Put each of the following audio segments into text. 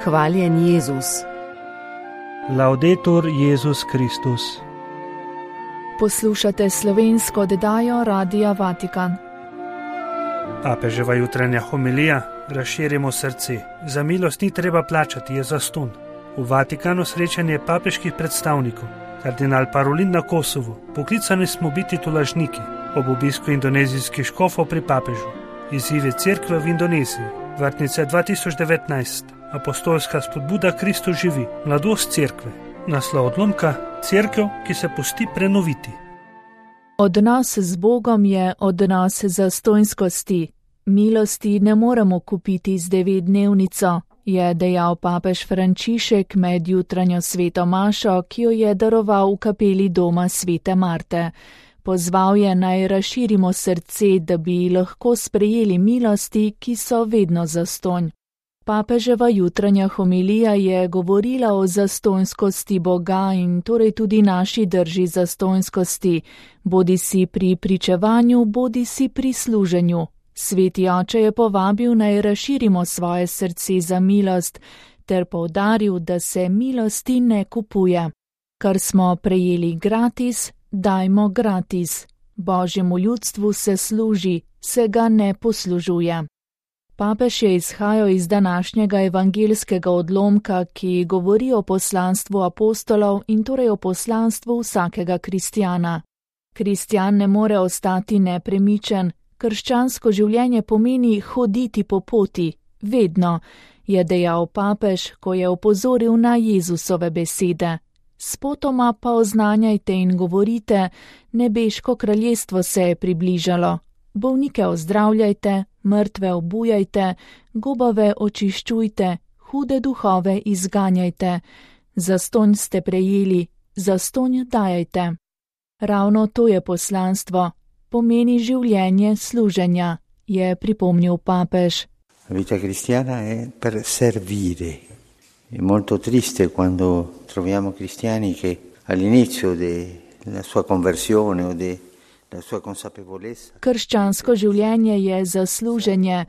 Hvaljen Jezus. Laudetur Jezus Kristus. Poslušate slovensko oddajo Radia Vatikan. Papeževa jutranja homilija: razširimo srce. Za milost ni treba plačati, je zastonj. V Vatikanu srečanje papeških predstavnikov. Kardinal Parolin na Kosovu: poklicani smo biti tolažniki. Ob obisku indonezijskih škofov pri papežu. Izzive cerkve v Indoneziji. Vrtnice 2019. Apostolska spodbuda Kristus živi. Mladost cerkve. Naslov odlomka: cerkev, ki se pusti prenoviti. Odnos z Bogom je odnos zastonjskosti. Milosti ne moremo kupiti z 9-dnevnico, je dejal papež Frančišek med jutranjo sveto mašo, ki jo je daroval v kapeli doma svete Marte. Pozval je, naj razširimo srce, da bi lahko sprejeli milosti, ki so vedno zastonj. Papeževa jutranja homilija je govorila o zastonjskosti Boga in torej tudi naši drži zastonjskosti, bodisi pri pričevanju, bodisi pri služenju. Sveti oče je povabil, naj razširimo svoje srce za milost, ter poudaril, da se milosti ne kupuje. Kar smo prejeli gratis, dajmo gratis. Božjemu ljudstvu se služi, se ga ne poslužuje. Papež je izhajal iz današnjega evangeljskega odlomka, ki govori o poslanstvu apostolov in torej o poslanstvu vsakega kristjana. Kristjan ne more ostati nepremičen, krščansko življenje pomeni hoditi po poti, vedno, je dejal papež, ko je opozoril na Jezusove besede. Spotoma pa oznanjajte in govorite, nebeško kraljestvo se je približalo. Bolnike ozdravljajte, mrtve obujajte, gobave očiščujte, hude duhove izganjajte. Zastonj ste prejeli, zastonj dajajte. Ravno to je poslanstvo, pomeni življenje služenja, je pripomnil papež. Vita cristiana è per servire. È molto triste quando troviamo cristiani che all'inizio della sua conversione o della sua consapevolezza. Krščansko življenje je za služenje.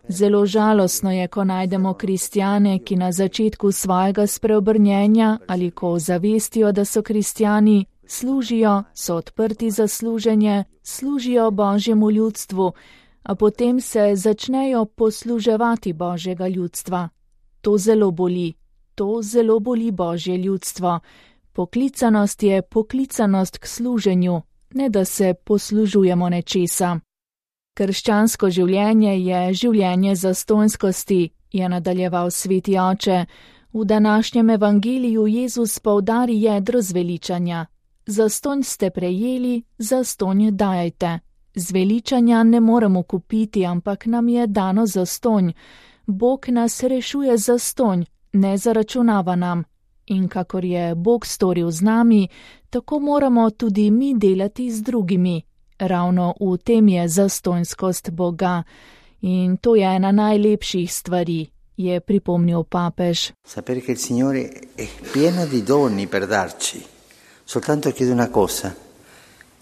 Zelo žalostno je, ko najdemo kristjane, ki na začetku svojega spreobrnjenja ali ko zavestijo, da so kristjani, služijo, so odprti za služenje, služijo Božjemu ljudstvu, a potem se začnejo posluževati Božjega ljudstva. To zelo boli Božje ljudstvo. Poklicanost je poklicanost k služenju, ne da se poslužujemo nečesa. Krščansko življenje je življenje zastonjskosti, je nadaljeval sveti oče. V današnjem evangeliju Jezus poudari jedro zveličanja. Zastonj ste prejeli, zastonj dajajte. Zveličanja ne moremo kupiti, ampak nam je dano zastonj. Bog nas rešuje zastonj, ne zaračunava nam. In kakor je Bog storil z nami, tako moramo tudi mi delati z drugimi. Ravno v tem je zastonjskost Boga. In to je ena najlepših stvari, je pripomnil papež. Sapere che il Signore è pieno di doni per darci. Soltanto chiede una cosa,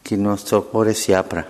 che il nostro cuore si apra.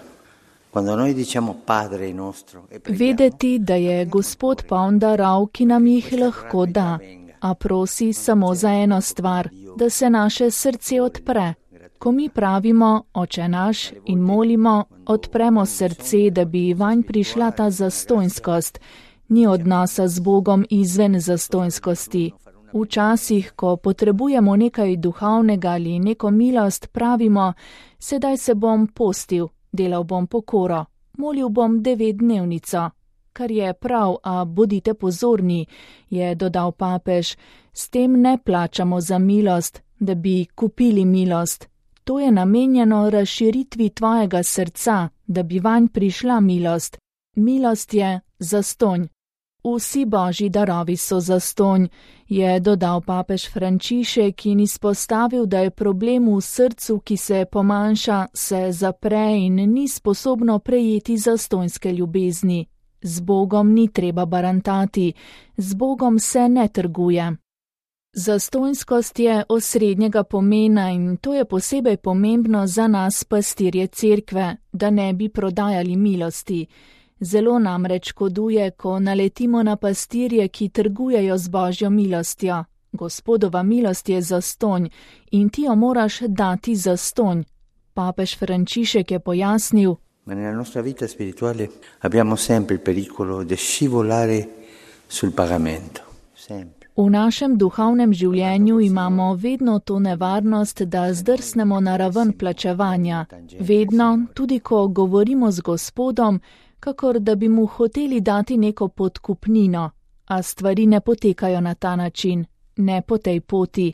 Quando noi diciamo Padre nostro e preghiamo, vedeti, da je Gospod poln darov, ki nam jih lahko da, a prosi samo za eno stvar, da se naše srce odpre. Ko mi pravimo Oče naš in molimo, odpremo srce, da bi vanj prišla ta zastonjskost. Ni odnosa z Bogom izven zastonjskosti. Včasih, ko potrebujemo nekaj duhovnega ali neko milost, pravimo, sedaj se bom postil, delal bom pokoro, molil bom 9-dnevnico. Kar je prav, a bodite pozorni, je dodal papež, s tem ne plačamo za milost, da bi kupili milost. To je namenjeno razširitvi tvojega srca, da bi vanj prišla milost. Milost je zastonj. Vsi Božji darovi so zastonj, je dodal papež Frančišek in izpostavil, da je problem v srcu, ki se pomanjša, se zapre in ni sposobno prejeti zastonjske ljubezni. Z Bogom ni treba barantati, z Bogom se ne trguje. Zastonjskost je osrednjega pomena in to je posebej pomembno za nas pastirje cerkve, da ne bi prodajali milosti. Zelo namreč škoduje, ko naletimo na pastirje, ki trgujejo z Božjo milostjo. Gospodova milost je zastonj in ti jo moraš dati zastonj. Papež Frančišek je pojasnil: Ma nella nostra vita spirituale abbiamo sempre il pericolo di scivolare sul pagamento. Sempre. V našem duhovnem življenju imamo vedno to nevarnost, da zdrsnemo na raven plačevanja. Vedno, tudi ko govorimo z Gospodom, kakor da bi mu hoteli dati neko podkupnino, a stvari ne potekajo na ta način, ne po tej poti.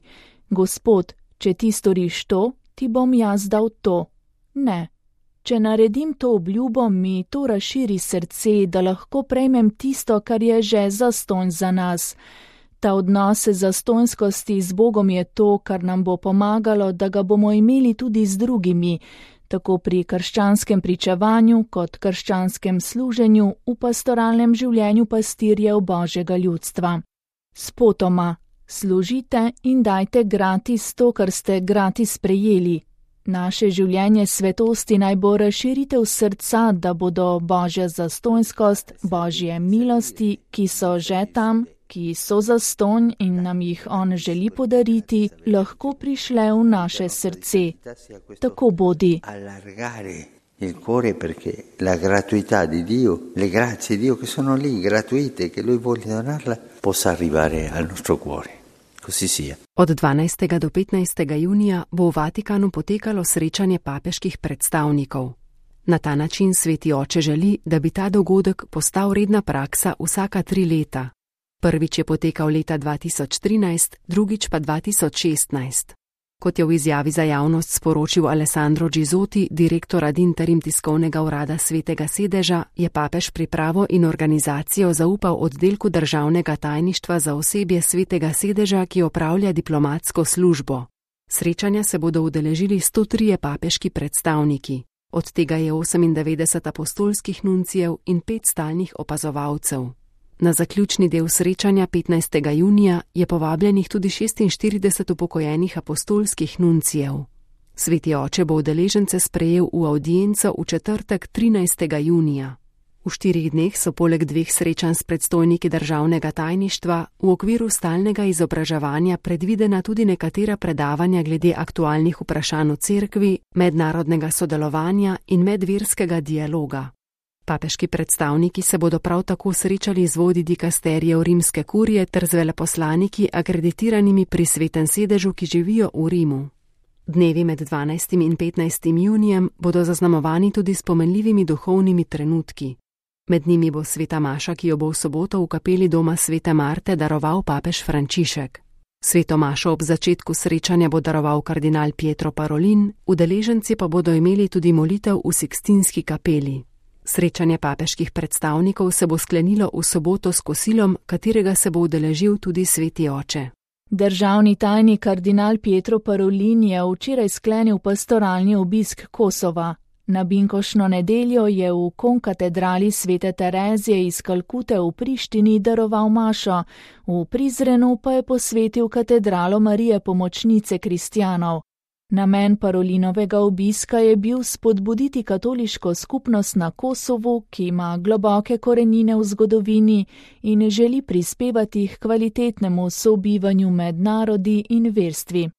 Gospod, če ti storiš to, ti bom jaz dal to. Ne. Če naredim to obljubo, mi to razširi srce, da lahko prejmem tisto, kar je že zastonj za nas. Ta odnos zastonjskosti z Bogom je to, kar nam bo pomagalo, da ga bomo imeli tudi z drugimi, tako pri krščanskem pričevanju kot krščanskem služenju v pastoralnem življenju pastirjev Božjega ljudstva. Spotoma, služite in dajte gratis to, kar ste gratis prejeli. Naše življenje svetosti naj bo razširitev srca, da bodo Božja zastonjskost, Božje milosti, ki so že tam, ki so zastonj in nam jih on želi podariti, lahko prišle v naše srce. Tako bodi. Il cuore perché la gratuità di Dio, le grazie di Dio che sono lì, gratuite, che Lui vuole donarla, possa arrivare al nostro cuore. Così sia. Od 12. do 15. junija bo v Vatikanu potekalo srečanje papeških predstavnikov. Na ta način Sveti Oče želi, da bi ta dogodek postal redna praksa vsaka 3 leta. Prvič je potekal leta 2013, drugič pa 2016. Kot je v izjavi za javnost sporočil Alessandro Gizotti, direktor ad interim tiskovnega urada Svetega sedeža, je papež pripravo in organizacijo zaupal oddelku državnega tajništva za osebje Svetega sedeža, ki opravlja diplomatsko službo. Srečanja se bodo udeležili 103 papeški predstavniki, od tega je 98 apostolskih nuncijev in 5 stalnih opazovalcev. Na zaključni del srečanja 15. junija je povabljenih tudi 46 upokojenih apostolskih nuncijev. Sveti Oče bo udeležence sprejel v avdienco v četrtek 13. junija. V 4 dneh so poleg 2 srečanj s predstojniki državnega tajništva v okviru stalnega izobraževanja predvidena tudi nekatera predavanja glede aktualnih vprašanj v cerkvi, mednarodnega sodelovanja in medverskega dialoga. Papeški predstavniki se bodo prav tako srečali z vodji dikasterijev rimske kurije ter z veleposlaniki akreditiranimi pri Svetem sedežu, ki živijo v Rimu. Dnevi med 12. in 15. junijem bodo zaznamovani tudi s pomenljivimi duhovnimi trenutki. Med njimi bo sveta maša, ki jo bo v soboto v kapeli doma Svete Marte daroval papež Frančišek. Sveto mašo ob začetku srečanja bo daroval kardinal Pietro Parolin, udeleženci pa bodo imeli tudi molitev v Sikstinski kapeli. Srečanje papeških predstavnikov se bo sklenilo v soboto s kosilom, katerega se bo udeležil tudi Sveti Oče. Državni tajnik kardinal Pietro Parolin je včeraj sklenil pastoralni obisk Kosova. Na binkošno nedeljo je v konkatedrali Svete Terezije iz Kalkute v Prištini daroval mašo, v Prizrenu pa je posvetil katedralo Marije Pomočnice kristjanov. Namen Parolinovega obiska je bil spodbuditi katoliško skupnost na Kosovu, ki ima globoke korenine v zgodovini in želi prispevati k kvalitetnemu sobivanju med narodi in verstvi.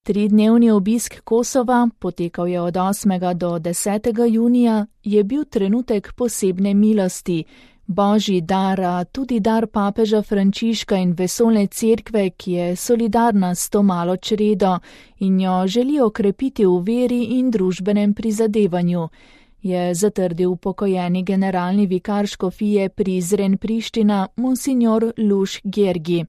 3-dnevni obisk Kosova, potekal je od 8. do 10. junija, je bil trenutek posebne milosti, Božji dar, tudi dar papeža Frančiška in vesoljne cerkve, ki je solidarna s to malo čredo in jo želi okrepiti v veri in družbenem prizadevanju, je zatrdil upokojeni generalni vikar škofije Prizren Priština monsignor Luš Gergi.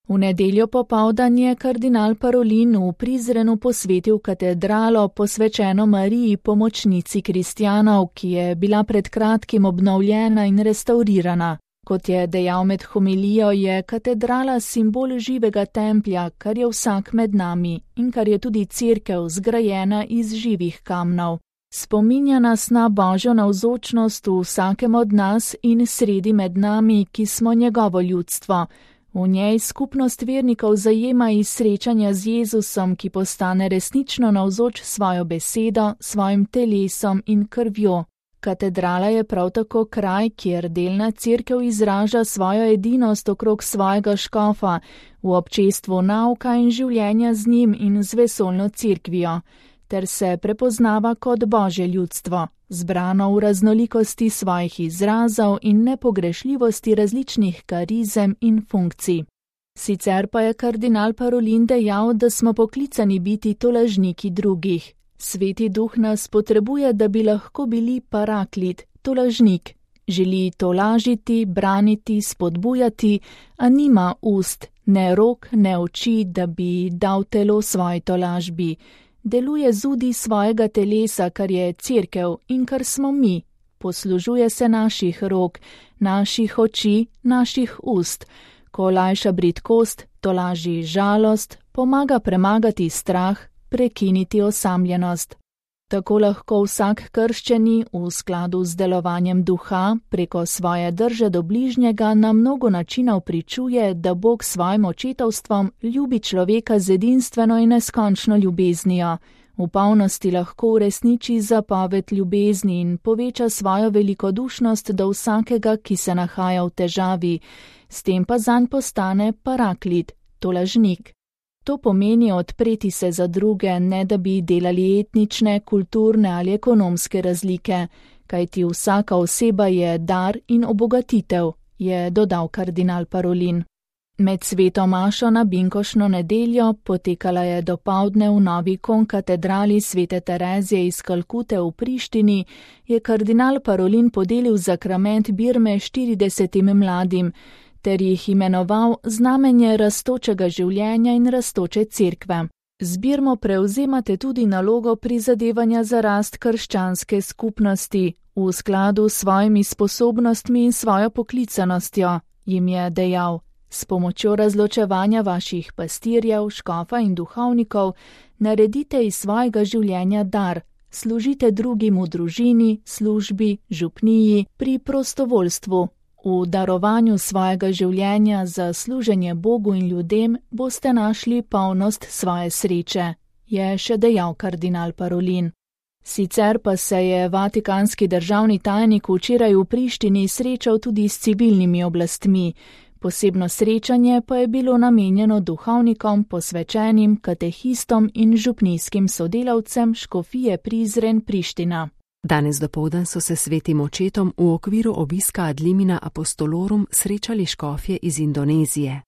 V nedeljo popoldan je kardinal Parolin v Prizrenu posvetil katedralo posvečeno Mariji Pomočnici kristjanov, ki je bila pred kratkim obnovljena in restaurirana. Kot je dejal med homilijo, je katedrala simbol živega templja, kar je vsak med nami in kar je tudi cerkev zgrajena iz živih kamnov. Spominja nas na Božjo navzočnost v vsakem od nas in sredi med nami, ki smo njegovo ljudstvo. V njej skupnost vernikov zajema iz srečanja z Jezusom, ki postane resnično navzoč svojo besedo, svojim telesom in krvjo. Katedrala je prav tako kraj, kjer delna cerkev izraža svojo edinost okrog svojega škofa, v občestvu nauka in življenja z njim in z vesoljno cerkvijo, ter se prepoznava kot Božje ljudstvo, zbrano v raznolikosti svojih izrazov in nepogrešljivosti različnih karizem in funkcij. Sicer pa je kardinal Parolin dejal, da smo poklicani biti tolažniki drugih. Sveti duh nas potrebuje, da bi lahko bili paraklit, tolažnik. Želi tolažiti, braniti, spodbujati, a nima ust, ne rok, ne oči, da bi dal telo svoji tolažbi. Deluje zudi svojega telesa, kar je cerkev in kar smo mi. Poslužuje se naših rok, naših oči, naših ust. Ko lajša bridkost, tolaži žalost, pomaga premagati strah, prekiniti osamljenost. Tako lahko vsak krščeni v skladu z delovanjem duha preko svoje drže do bližnjega na mnogo načinov pričuje, da Bog svojim očetovstvom ljubi človeka z edinstveno in neskončno ljubeznijo. V polnosti lahko uresniči zapoved ljubezni in poveča svojo velikodušnost do vsakega, ki se nahaja v težavi. S tem pa zanj postane paraklit, tolažnik. To pomeni odpreti se za druge, ne da bi delali etnične, kulturne ali ekonomske razlike, kajti vsaka oseba je dar in obogatitev, je dodal kardinal Parolin. Med sveto mašo na binkošno nedeljo, potekala je dopoldne v novi konkatedrali svete Terezije iz Kalkute v Prištini, je kardinal Parolin podelil zakrament birme 40 mladim, ter jih imenoval znamenje rastočega življenja in rastoče cerkve. Z birmo prevzemate tudi nalogo prizadevanja za rast krščanske skupnosti, v skladu s svojimi sposobnostmi in svojo poklicanostjo, jim je dejal. S pomočjo razločevanja vaših pastirjev, škofa in duhovnikov naredite iz svojega življenja dar, služite drugim v družini, službi, župniji, pri prostovoljstvu. V darovanju svojega življenja za služenje Bogu in ljudem boste našli polnost svoje sreče, je še dejal kardinal Parolin. Sicer pa se je vatikanski državni tajnik včeraj v Prištini srečal tudi s civilnimi oblastmi. Posebno srečanje pa je bilo namenjeno duhovnikom, posvečenim, katehistom in župnijskim sodelavcem škofije Prizren Priština. Danes dopoldan so se svetim očetom v okviru obiska ad limina apostolorum srečali škofje iz Indonezije.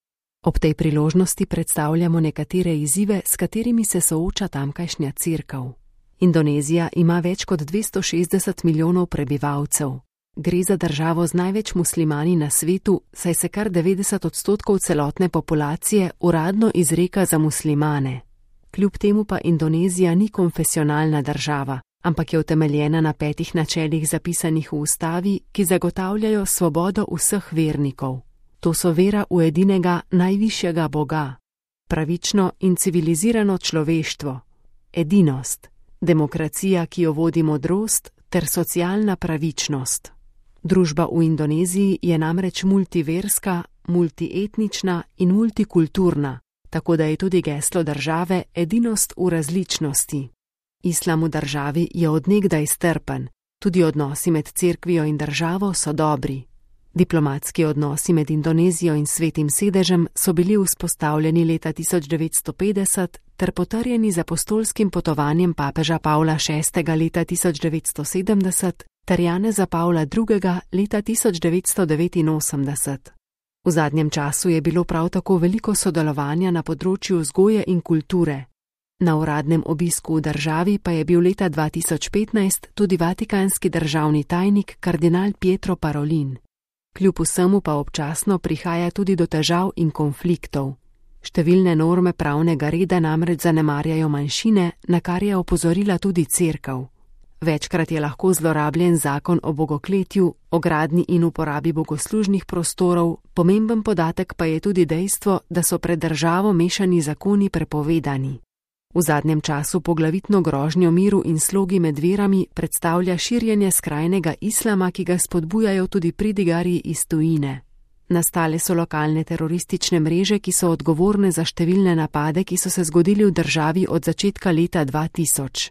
Ob tej priložnosti predstavljamo nekatere izzive, s katerimi se sooča tamkajšnja cerkev. Indonezija ima več kot 260 milijonov prebivalcev. Gre za državo z največ muslimani na svetu, saj se kar 90% celotne populacije uradno izreka za muslimane. Kljub temu pa Indonezija ni konfesionalna država, ampak je utemeljena na 5 načelih zapisanih v ustavi, ki zagotavljajo svobodo vseh vernikov. To so vera v edinega najvišjega Boga, pravično in civilizirano človeštvo, edinost, demokracija, ki jo vodi modrost, ter socialna pravičnost. Družba v Indoneziji je namreč multiverska, multietnična in multikulturna, tako da je tudi geslo države edinost v različnosti. Islam v državi je od nekdaj strpen, tudi odnosi med cerkvijo in državo so dobri. Diplomatski odnosi med Indonezijo in Svetim sedežem so bili vzpostavljeni leta 1950 ter potrjeni z apostolskim potovanjem papeža Pavla VI. Leta 1970 ter Janeza Pavla II. Leta 1989. V zadnjem času je bilo prav tako veliko sodelovanja na področju vzgoje in kulture. Na uradnem obisku v državi pa je bil leta 2015 tudi vatikanski državni tajnik kardinal Pietro Parolin. Kljub vsemu pa občasno prihaja tudi do težav in konfliktov. Številne norme pravnega reda namreč zanemarjajo manjšine, na kar je opozorila tudi cerkev. Večkrat je lahko zlorabljen zakon o bogokletju, o gradnji in uporabi bogoslužnih prostorov, pomemben podatek pa je tudi dejstvo, da so pred državo mešani zakoni prepovedani. V zadnjem času poglavitno grožnjo miru in slogi med verami predstavlja širjenje skrajnega islama, ki ga spodbujajo tudi pridigarji iz tujine. Nastale so lokalne teroristične mreže, ki so odgovorne za številne napade, ki so se zgodili v državi od začetka leta 2000.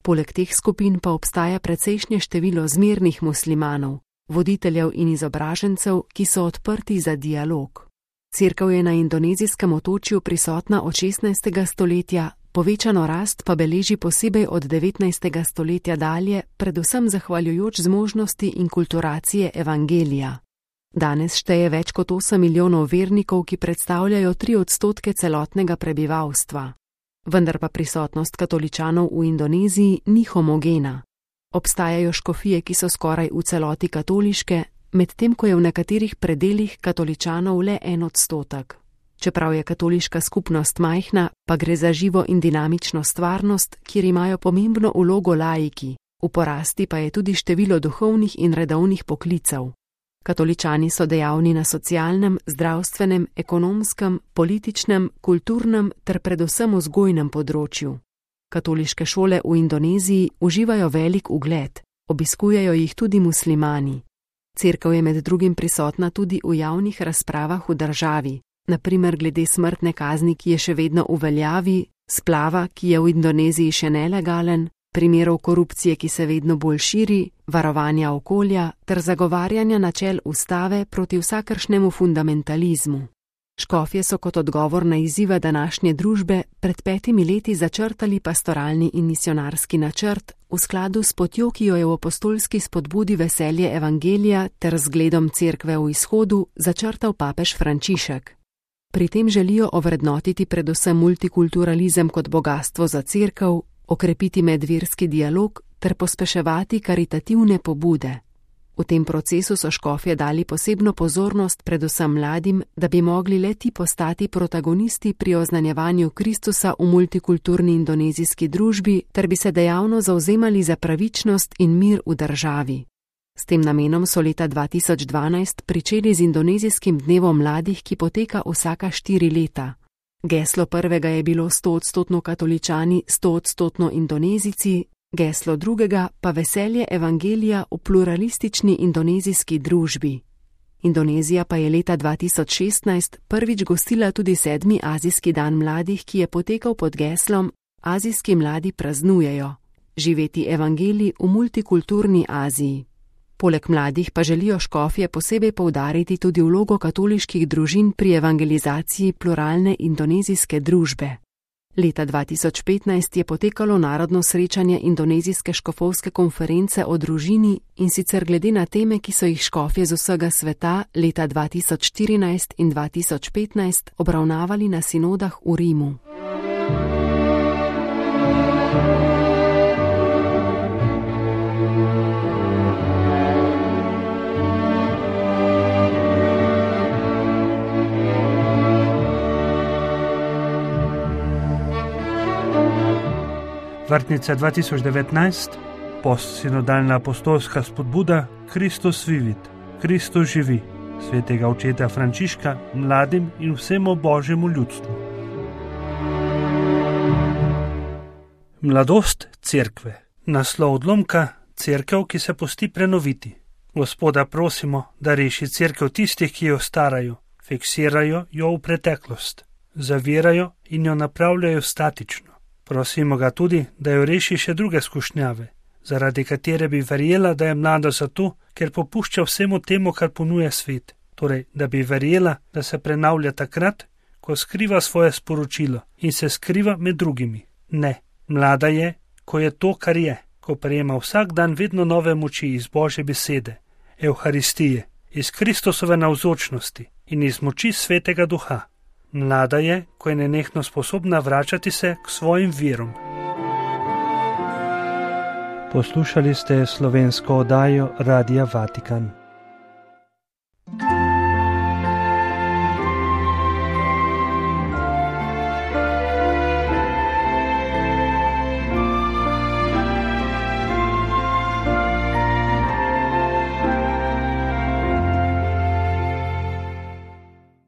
Poleg teh skupin pa obstaja precejšnje število zmernih muslimanov, voditeljev in izobražencev, ki so odprti za dialog. Cerkev je na indonezijskem otočju prisotna od 16. stoletja, povečano rast pa beleži posebej od 19. stoletja dalje, predvsem zahvaljujoč zmožnosti inkulturacije evangelija. Danes šteje več kot 8 milijonov vernikov, ki predstavljajo 3% celotnega prebivalstva. Vendar pa prisotnost katoličanov v Indoneziji ni homogena. Obstajajo škofije, ki so skoraj v celoti katoliške, medtem ko je v nekaterih predelih katoličanov le 1%. Čeprav je katoliška skupnost majhna, pa gre za živo in dinamično stvarnost, kjer imajo pomembno vlogo laiki, v porasti pa je tudi število duhovnih in redovnih poklicev. Katoličani so dejavni na socialnem, zdravstvenem, ekonomskem, političnem, kulturnem ter predvsem vzgojnem področju. Katoliške šole v Indoneziji uživajo velik ugled, obiskujejo jih tudi muslimani. Cerkev je med drugim prisotna tudi v javnih razpravah v državi, na primer glede smrtne kazni, ki je še vedno v veljavi, splava, ki je v Indoneziji še nelegalen, primerov korupcije, ki se vedno bolj širi, varovanja okolja ter zagovarjanja načel ustave proti vsakršnemu fundamentalizmu. Škofje so kot odgovor na izzive današnje družbe pred 5 leti začrtali pastoralni in misionarski načrt v skladu s potjo, ki jo je v apostolski spodbudi veselje evangelija ter zgledom cerkve v izhodu začrtal papež Frančišek. Pri tem želijo ovrednotiti predvsem multikulturalizem kot bogastvo za cerkev, okrepiti medverski dialog ter pospeševati karitativne pobude. V tem procesu so škofje dali posebno pozornost predvsem mladim, da bi mogli le ti postati protagonisti pri oznanjevanju Kristusa v multikulturni indonezijski družbi ter bi se dejavno zavzemali za pravičnost in mir v državi. S tem namenom so leta 2012 pričeli z indonezijskim dnevom mladih, ki poteka vsaka 4 leta. Geslo prvega je bilo 100% katoličani, 100% Indonezijci, geslo drugega pa veselje evangelija v pluralistični indonezijski družbi. Indonezija pa je leta 2016 prvič gostila tudi 7. azijski dan mladih, ki je potekal pod geslom Azijski mladi praznujejo, živeti evangelij v multikulturni Aziji. Poleg mladih pa želijo škofje posebej poudariti tudi vlogo katoliških družin pri evangelizaciji pluralne indonezijske družbe. Leta 2015 je potekalo narodno srečanje indonezijske škofovske konference o družini in sicer glede na teme, ki so jih škofje z vsega sveta leta 2014 in 2015 obravnavali na sinodah v Rimu. Vrtnica 2019, postsinodalna apostolska spodbuda Kristus vivit, Kristus živi, svetega očeta Frančiška mladim in vsemu božjemu ljudstvu. Mladost cerkve. Naslov odlomka: cerkev, ki se pusti prenoviti. Gospoda prosimo, da reši cerkev tistih, ki jo starajo, fiksirajo jo v preteklost, zavirajo in jo napravljajo statično. Prosimo ga tudi, da jo reši še druge skušnjave, zaradi katere bi verjela, da je mlada zato, ker popušča vsemu temu, kar ponuja svet. Torej, da bi verjela, da se prenavlja takrat, ko skriva svoje sporočilo in se skriva med drugimi. Ne, mlada je, ko je to, kar je, ko prejema vsak dan vedno nove moči iz Božje besede, Evharistije, iz Kristusove navzočnosti in iz moči Svetega Duha. Mlada je, ko je nenehno sposobna vračati se k svojim virom. Poslušali ste slovensko oddajo Radia Vatikan.